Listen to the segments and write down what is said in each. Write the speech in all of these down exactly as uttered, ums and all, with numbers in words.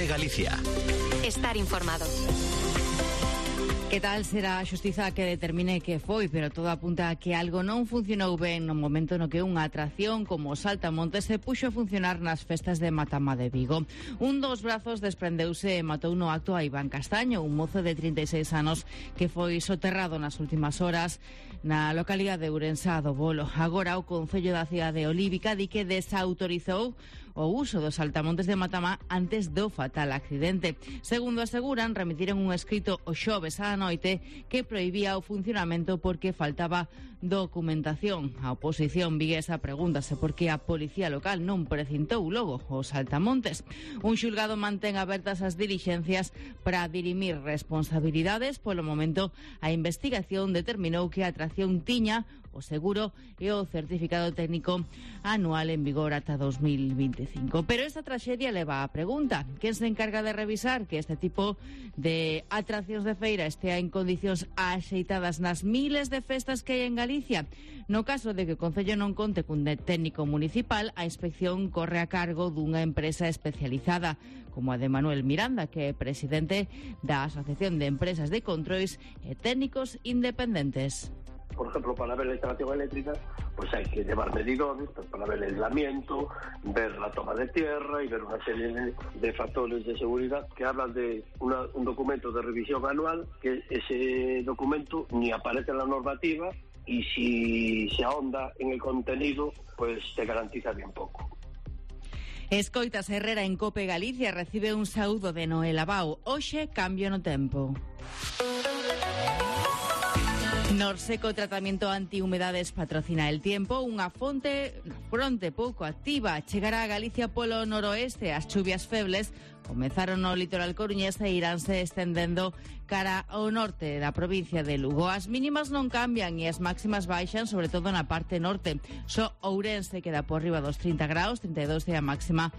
Galicia. Estar informado. Que tal será a xustiza que determine que foi, pero todo apunta a que algo non funcionou ben no momento no que unha atracción como o Saltamontes se puxo a funcionar nas festas de Matama de Vigo. Un dos brazos desprendeuse e matou no acto a Iván Castaño, un mozo de trinta e seis anos que foi soterrado nas últimas horas na localidade de Ourense do Bolo. Agora o Concello da cidade de Olívica di que desautorizou o uso dos saltamontes de Matama antes do fatal accidente. Segundo aseguran, remitiron un escrito o xoves á noite que prohibía o funcionamento porque faltaba documentación. A oposición viguesa pregúntase por que a policía local non precintou logo os saltamontes. Un xulgado mantén abertas as dilixencias para dirimir responsabilidades. Polo momento, a investigación determinou que a atracción tiña o seguro e o certificado técnico anual en vigor ata dos mil veinticinco. Pero esta traxedia leva a pregunta: quen se encarga de revisar que este tipo de atraccións de feira estea en condicións axeitadas nas miles de festas que hai en Galicia? No caso de que o Concello non conte cun técnico municipal, a inspección corre a cargo dunha empresa especializada, como a de Manuel Miranda, que é presidente da Asociación de Empresas de Controis e Técnicos Independentes. Por ejemplo, para ver la instalación eléctrica, pues hay que llevar medidores pues, para ver el aislamiento, ver la toma de tierra y ver una serie de, de factores de seguridad que hablan de una, un documento de revisión anual, que ese documento ni aparece en la normativa y si se ahonda en el contenido, pues te garantiza bien poco. Escoitas Herrera en Cope Galicia recibe un saúdo de Noel Abao. Hoxe cambio no tempo. Norseco Tratamento Antihumedades patrocina El Tiempo, unha fonte fronte pouco activa. Chegará a Galicia polo noroeste. As chuvias febles comezaron no litoral coruñés e iránse estendendo cara ao norte da provincia de Lugo. As mínimas non cambian e as máximas baixan, sobre todo na parte norte. Só Ourense queda por riba dos trinta graus, trinta e dous é a máxima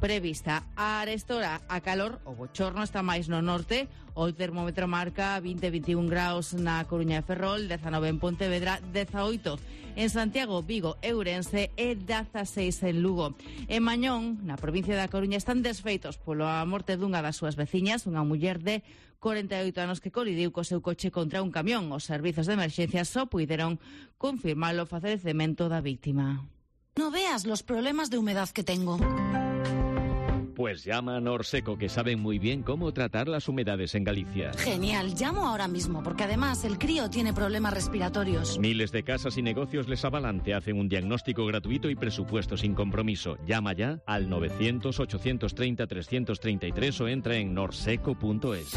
prevista. A arestora a calor, o bochorno está máis no norte. O termómetro marca vinte a veintiún graus na Coruña de Ferrol, dezanove en Pontevedra, dezaoito en Santiago, Vigo e Ourense e dezaseis en Lugo. En Mañón, na provincia da Coruña, están desfeitos pola morte dunha das súas veciñas, unha muller de corenta e oito anos que colidiu co seu coche contra un camión. Os servizos de emerxencia só puideron confirmar o falecemento da víctima. No veas los problemas de humedad que tengo. Pues llama a Norseco, que saben muy bien cómo tratar las humedades en Galicia. Genial, llamo ahora mismo, porque además el crío tiene problemas respiratorios. Miles de casas y negocios les avalan, te hacen un diagnóstico gratuito y presupuesto sin compromiso. Llama ya al novecientos, ochocientos treinta, trescientos treinta y tres o entra en norseco punto es.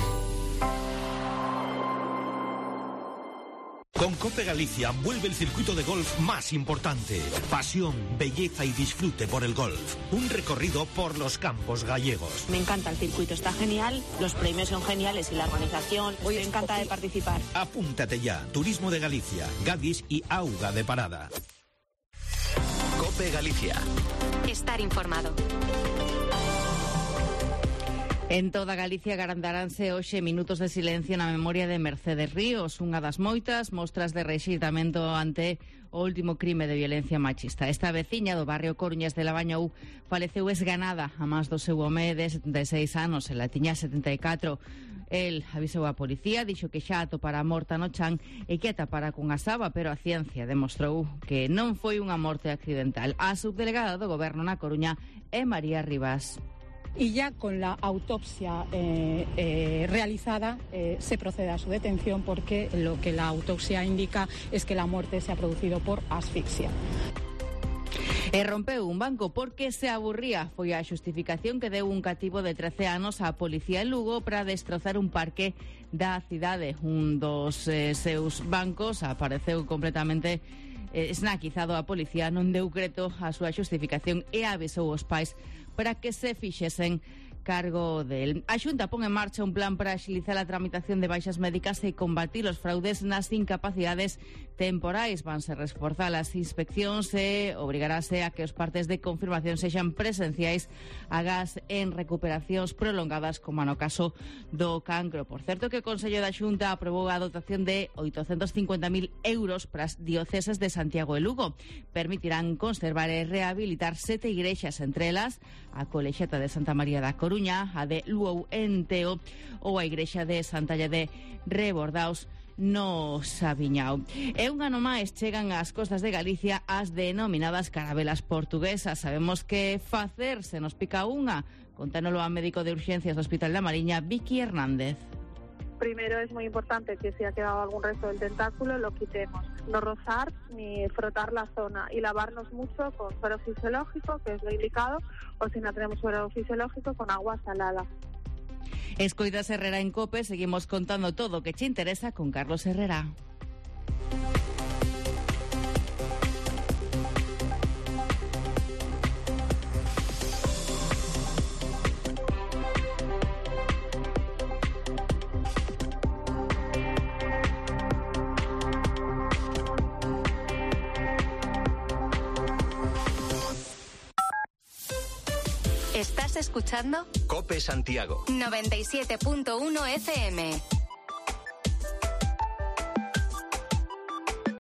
Con Cope Galicia vuelve el circuito de golf más importante. Pasión, belleza y disfrute por el golf. Un recorrido por los campos gallegos. Me encanta el circuito, está genial, los premios son geniales y la organización. Hoy me encanta de participar. Apúntate ya. Turismo de Galicia, Gadis y Auga de Parada. Cope Galicia. Estar informado. En toda Galicia garantaránse hoxe minutos de silencio na memoria de Mercedes Ríos, unha das moitas mostras de rexeitamento ante o último crime de violencia machista. Esta veciña do barrio Coruñés de Labañou faleceu esganada a máis do seu home de setenta e seis anos, ela tiña setenta e catro. El avisou a policía, dixo que xa atopara morta no chan e que atapara cunha saba, pero a ciencia demostrou que non foi unha morte accidental. A subdelegada do Goberno na Coruña é María Rivas. Y ya con la autopsia eh, eh, realizada eh, se procede a su detención porque lo que la autopsia indica es que la muerte se ha producido por asfixia. E rompeu un banco porque se aburría. Foi a xustificación que deu un cativo de trece anos á policía en Lugo para destrozar un parque da cidade. Un dos eh, seus bancos apareceu completamente eh, snaquizado. A policía non deu creto a súa xustificación e avisou os pais para que se fixesen cargo del. A Xunta pon en marcha un plan para axilizar a tramitación de baixas médicas e combatir os fraudes nas incapacidades temporais. Vanse reforzar as inspeccións e obrigarase a que os partes de confirmación sexan presenciais agas en recuperacións prolongadas, como no caso do cancro. Por certo, que o Consello da Xunta aprobou a dotación de oitocentos cincuenta mil euros para as dioceses de Santiago e Lugo. Permitirán conservar e rehabilitar sete igrexas, entre elas a Colexiata de Santa María da Coruña, Coruña, a de Luou en Teo ou a igrexa de Santalla de Rebordaos no Sabiñao. E un ano máis chegan ás costas de Galicia as denominadas carabelas portuguesas. Sabemos que facer se nos pica unha. Contánolo a médico de urgencias do Hospital da Mariña, Vicky Hernández. Primero es muy importante que si ha quedado algún resto del tentáculo lo quitemos. No rozar ni frotar la zona y lavarnos mucho con suero fisiológico, que es lo indicado, o si no tenemos suero fisiológico, con agua salada. Escoitas Herrera en COPE, seguimos contando todo o que te interesa con Carlos Herrera. ¿Estás escuchando? COPE Santiago noventa y siete punto uno F M.